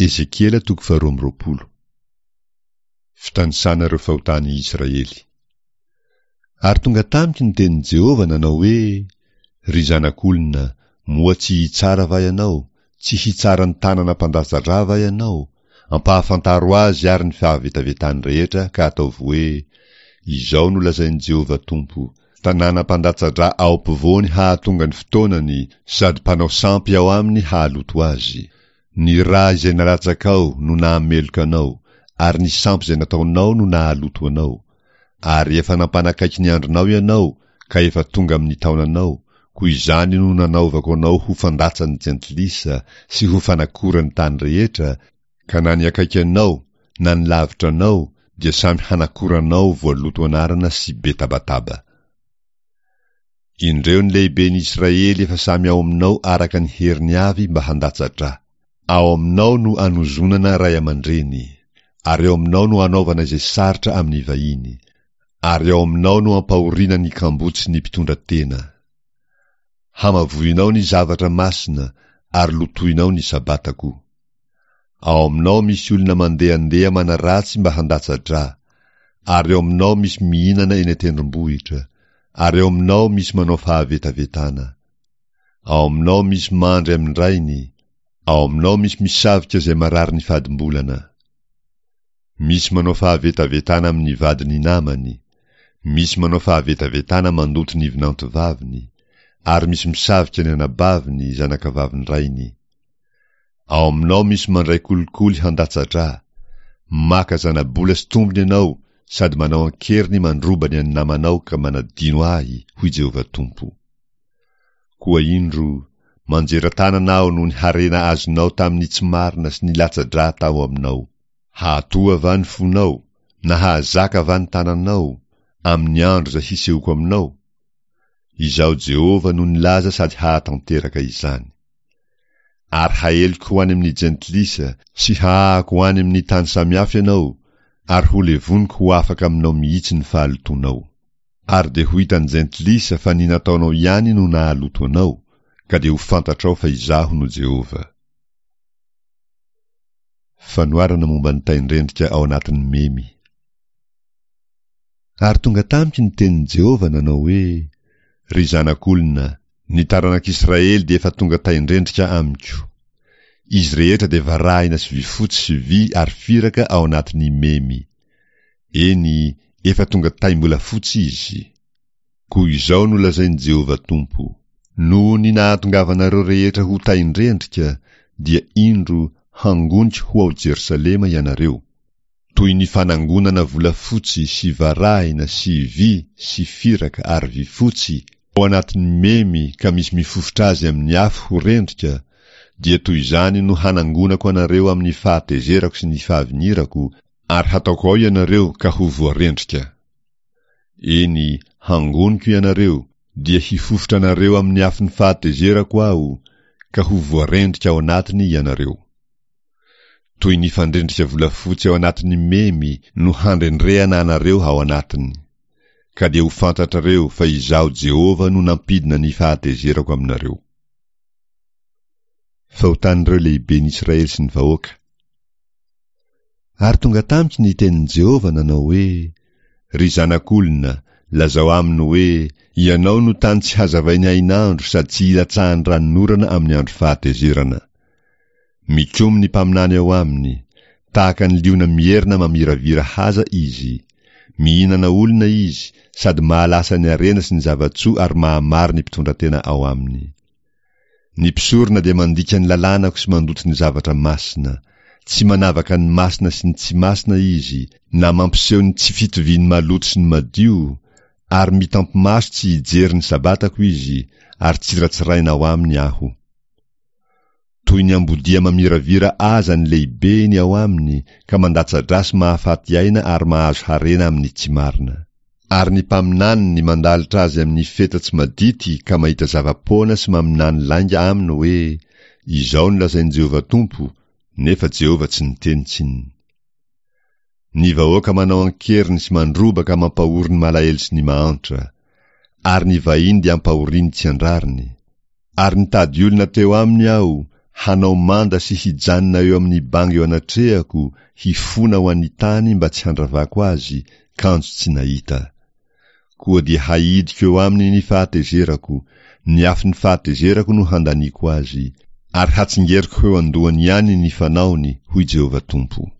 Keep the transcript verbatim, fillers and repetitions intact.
Ezekiela toko faharoa amby roapolo. Fitanisana ireo fahotan'i Israely. Ary tonga tamiko ny tenin'i Jehovah nanao hoe, Ry zanak'olona, moa tsy hitsara va ianao? Tsy hitsara ny tanana mpandatsa-drà va ianao? Ampahafantaro azy àry ny fahavetavetany rehetra ka ataovy hoe, Izao no lazain'i Jehovah Tompo, Tanàna mpandatsa-drà ao ampovoany hahatonga ny fotoanany sady mpanao sampy ao aminy hahaloto azy. Ny rà izay nalatsakao no nahameloka anao, ary ny sampy izay nataonao no nahaloto anao. Ary efa nampanakaiky ny andronao ianao, ka efa tonga amin'ny taonanao, koa izany no nanaovako anao ho fandatsan'ny jentilisa sy ho fanakoran'ny tany rehetra, ka na ny akaiky anao na ny lavitra anao dia samy hanakora anao voaloto anarana sy be tabataba. Indreo ny lehiben'i Israely efa samy ao aminao araka ny heriny avy mba handatsa-drà. Ao aminao no anozonana ray aman-dreny, ary ao aminao no anaovana izay sarotra amin'ny vahiny, ary ao aminao no ampahoriana ny kamboty sy ny mpitondra tena. Hamavoinao ny zavatra masina ary lotoinao ny Sabatako. Ao aminao misy olona mandehandeha manaratsy mba handatsa-drà, ary ao aminao misy mihinana eny an-tendrombohitra, ary ao aminao misy manao fahavetavetana. Ao aminao misy mandry amin-drainy, ao aminao misy misavika izay marary ny fadimbolana. Misy manao fahavetavetana amin'ny vadin'ny namany, misy manao fahavetavetana mandoto ny vinantovaviny, ary misy misavika ny anabaviny, zanakavavin-drainy. Ao aminao misy mandray kolikoly handatsa-drà. Maka zana-bola sy tombony ianao sady manao an-keriny mandroba ny an'ny namanao ka manadino Ahy, hoy Jehovah Tompo. Koa indro, manjera tanana Aho noho ny harena azonao tamin'ny tsy marina sy ny latsa-drà tao aminao. Hahatoha va ny fonao, na hahazaka va ny tananao, amin'ny andro izay hisehoako aminao? Izaho Jehovah no nilaza sady hahatanteraka izany. Ary haeliko ho any amin'ny jentilisa sy hahahako ho any amin'ny tany samihafa ianao, ary ho levoniko ho afaka aminao mihitsy ny fahalotoanao. Ary dia ho hitan'ny jentilisa fa ny nataonao ihany no nahaloto anao, ka dia ho fantatrao fa Izaho no Jehovah. Fanoharana momba ny tain-drendrika ao anatin'ny memy. Ary tonga tamiko ny tenin'i Jehovah nanao hoe, Ry zanak'olona, ny taranak'Israely dia efa tonga tain-drendrika amiko. Izy rehetra dia varahina sy vifotsy sy vy ary firaka ao anatin'ny memy. Eny, efa tonga taim-bolafotsy izy. Koa izao no lazain'i Jehovah Tompo, Noho ny nahatongavanareo rehetra ho tain-drendrika, dia indro, hangoniko ho ao Jerosalema ianareo. Toy ny fanangonana volafotsy sy varahina sy vy sy firaka ary vifotsy ao anatin'ny memy ka misy mifofotra azy amin'ny afo ho rendrika, dia toy izany no hanangonako anareo amin'ny fahatezerako sy ny fahavinirako, ary hataoko ao ianareo ka ho voarendrika. Eny, hangoniko ianareo, dia hifofotra anareo amin'ny afon'ny fahatezerako Aho, ka ho voarendrika ao anatiny ianareo. Toy ny fandrendrika volafotsy ao anatin'ny memy no handrendrehana anareo ao anatiny. Ka dia ho fantatrareo fa Izaho Jehovah no nampidina ny fahatezerako aminareo. Fahotan'ireo lehiben'i Israely sy ny vahoaka. Ary tonga tamiko ny tenin'i Jehovah nanao hoe, Ry zanak'olona, lazao aminy hoe, Ianao no tany tsy hazavain'ny hainandro sady tsy ilatsahan'ny ranonorana amin'ny andro fahatezerana. Mikomy ny mpaminany ao aminy, tahaka ny liona mierina mamiravira haza izy. Mihinana olona izy, sady mahalasa ny harena sy ny zava-tsoa ary mahamaro ny mpitondratena ao aminy. Ny mpisorona dia mandika ny lalànako sy mandoto ny zavatra masina. Tsy manavaka ny masina sy ny tsy masina izy, na mampiseho ny tsy fitovian'ny maloto sy ny madio, ary mitampi-maso tsy hijery ny Sabatako izy, ary tsiratsiraina ao aminy Aho. Toy ny ambodia mamiravira aza ny lehibeny ao aminy ka mandatsa-drà sy mahafaty aina ary mahazo harena amin'ny tsy marina. Ary ny mpaminaniny mandalotra azy amin'ny feta tsy madity ka mahita zava-poana sy maminany lainga aminy hoe, Izao no lazain'i Jehovah Tompo, nefa Jehovah tsy niteny tsinona. Ny vahoaka manao an-keriny sy mandroba ka mampahory ny malahelo sy ny mahantra. Ary ny vahiny dia ampahoriany tsy an-drariny. Ary nitady olona teo aminy aho, hanao manda sy hijanona eo amin'ny banga eo anatrehako, hifona ho an'ny tany mba tsy handravako azy, kanjo tsy nahita. Koa dia haidiko eo aminy ny fahatezerako, ny afon'ny fahatezerako no handaniako azy, ary hatsingeriko ho eo an-dohany ihany ny fanaony, hoy Jehovah Tompo.